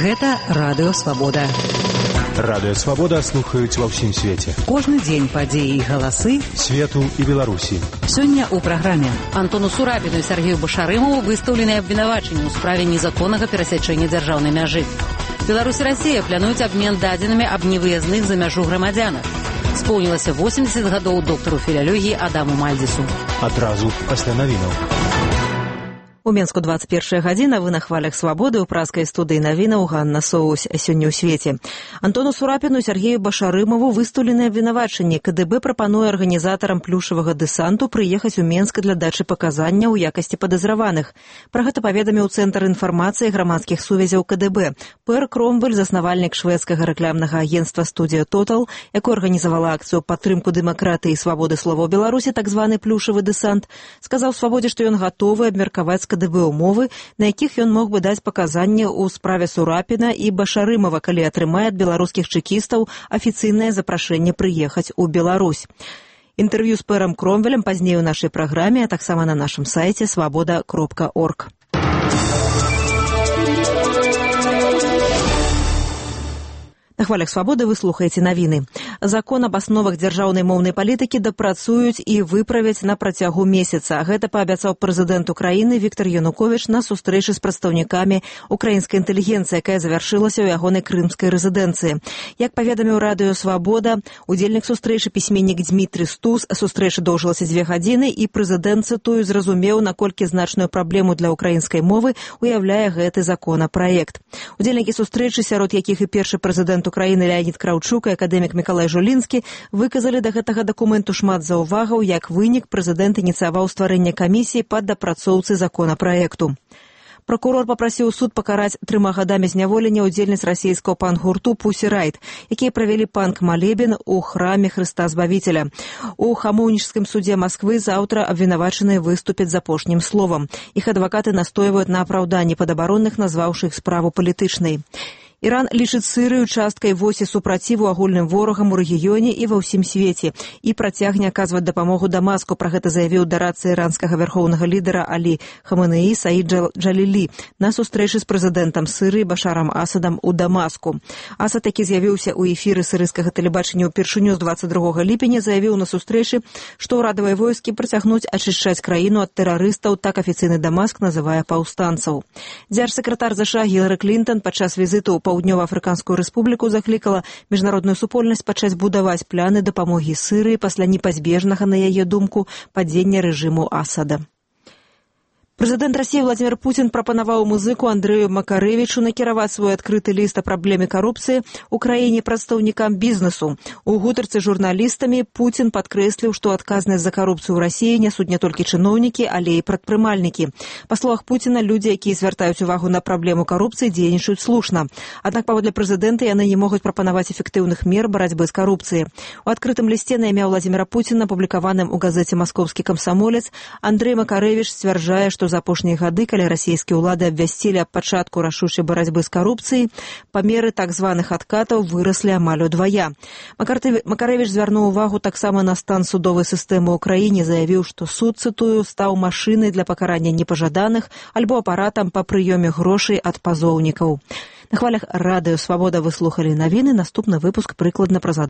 Гэта Радыё Свабода. Радыё Свабода слухаюць ва ўсім свеце. Кожны дзень падзеі і галасы свету і Беларусі. Сёння ў праграме Антону Сурапіну і Сергею Башарымову выстаўлены абвінавачанні ў справе незаконнага перасячэння дзяржаўнай мяжы. Беларусь і Расія плануюць абмен дадзенымі аб невыязных за мяжу грамадзянах. Споўнілася 80 гадоў доктару філялогіі Адаму Мальдзісу. Адразу пасля навінаў. У Менску 21 гадзіна, вы на хвалях Свабоды, у праскай студыі навінаў Ганна Соусь сёння ў свеце. Антону Сурапіну і Сергею Башарымову выстаўлены абвінавачанні. КДБ прапануе арганізатарам плюшавага дэсанту прыехаць у Менск для дачы паказання ў якасці падазраваных. Пра гэта паведаміў Цэнтр інфармацыі грамадскіх сувязяў КДБ. Пэр Кромвель, заснавальнік шведскага рэкламнага агенцтва «Студія Тотал», якое арганізавала акцыю падтрымку дэмакратыі і свабоды слова ў Беларусі, так званы плюшавы дэсант, сказаў Свабодзе, што ён гатовы абмеркаваць КДБ умовы, на якіх ён мог бы даць паказанні ў справе Сурапіна і Башарымова, калі атрымае ад беларускіх чэкістаў афіцыйнае запрашэнне прыехаць у Беларусь. Інтэрв'ю з Пэрам Кромвелем пазней у нашай праграме, а таксама на нашым сайце свабода.орг. На хвалях Свабоды вы слухаеце навіны. Закон аб асновах дзяржаўнай моўнай палітыкі дапрацуюць і выправяць на працягу месяца. Гэта паабяцаў прэзідэнт Украіны Віктор Януковіч на сустрэчы з прадстаўнікамі украінскай інтэлігенцыі, якая завяршылася ў ягонай крымскай рэзідэнцыі. Як паведаміў Радыё Свабода, удзельнік сустрэчы пісьменнік Дмітрый Стус, сустрэча доўжылася 2 гадзіны, і прэзідэнт, цытую, зразумеў, наколькі значную праблему для украінскай мовы уяўляе гэты законапраект. Удзельнікі сустрэчы, сярод якіх і першы прэзідэнт Украіны Леонід Краўчук і акадэмік Мікалай Жулінскі, выказалі да гэтага дакументу шмат заўвагаў. Як вынік, прэзідэнт ініцыяваў стварэнне камісіі па дапрацоўцы законапраекту. Прокурор папрасіў суд пакараць 3 гадамі зняволення удзельніц расійскага панк-гурту «Пусі Райт», якія правялі панк-малебен у храме Хрыста Збавіцеля. У Хамоўнічскім судзе Масквы заўтра абвінавачаныя выступяць з апошнім словам. Іх адвакаты настойваюць на апраўданні падабаронных, назваўшы іх справу палітычнай. Іран лічыць Сырыю часткай восі супраціву агульным ворагам у рэгіёне і ва ўсім свеце і працягне аказваць дапамогу Дамаску. Пра гэта заявіў дарадца іранскага вярхоўнага лідара Алі Хаменеі Саід Джалілі на сустрэчы з прэзідэнтам Сырыі Башарам Асадам у Дамаску. Асад, які з'явіўся ў эфіры сырыйскага тэлебачання ўпершыню з 22 ліпеня, заявіў на сустрэчы, што ўрадавыя войскі працягнуць ачышчаць краіну ад тэрарыстаў, так афіцыйны Дамаск называе паўстанцаў. Дзяржсакратар ЗША Гілары Клінтон падчас візіту Паўднёва-Афрыканскую рэспубліку заклікала міжнародную супольнасць пачаць будаваць пляны дапамогі Сырыі пасля непазбежнага, на яе думку, падзення рэжыму Асада. Прэзідэнт Расіі Владзімір Пуцін прапанаваў музыку Андрэю Макарэвічу накіраваць свой адкрыты ліст о праблеме карупцыі ў краіне прадстаўнікам бізнесу. У гутарцы з журналістамі Пуцін падкрэсліў, што адказнасць за карупцыю ў Расіі нясуць не толькі чыноўнікі, але і прадпрымальнікі. Па словах Пуціна, людзі, якія звяртаюць увагу на праблему карупцыі, дзейнічаюць слушна. Аднак, паводле прэзідэнта, яны не могуць прапанаваць эфектыўных мер барацьбы з карупцыяй. У адкрытым лісце на імя Владзіміра Пуціна, апублікаваным у газеце «Маскоўскі камсамолец», Андрэй Макарэвіч сцвярджае, што за апошнія гады, калі расійскія ўлады абвясцілі аб пачатку рашучай барацьбы з карупцыяй, памеры так званых адкатаў выраслі амаль удвая. Макарэвіч звярнуў увагу таксама на стан судовай сістэмы ў краіне, заявіў, што суд, цытую, стаў машынай для пакарання непажаданых альбо апаратам па прыёме грошай ад пазоўнікаў. На хвалях Радыё Свабода вы слухалі навіны. Наступны выпуск прыкладна праз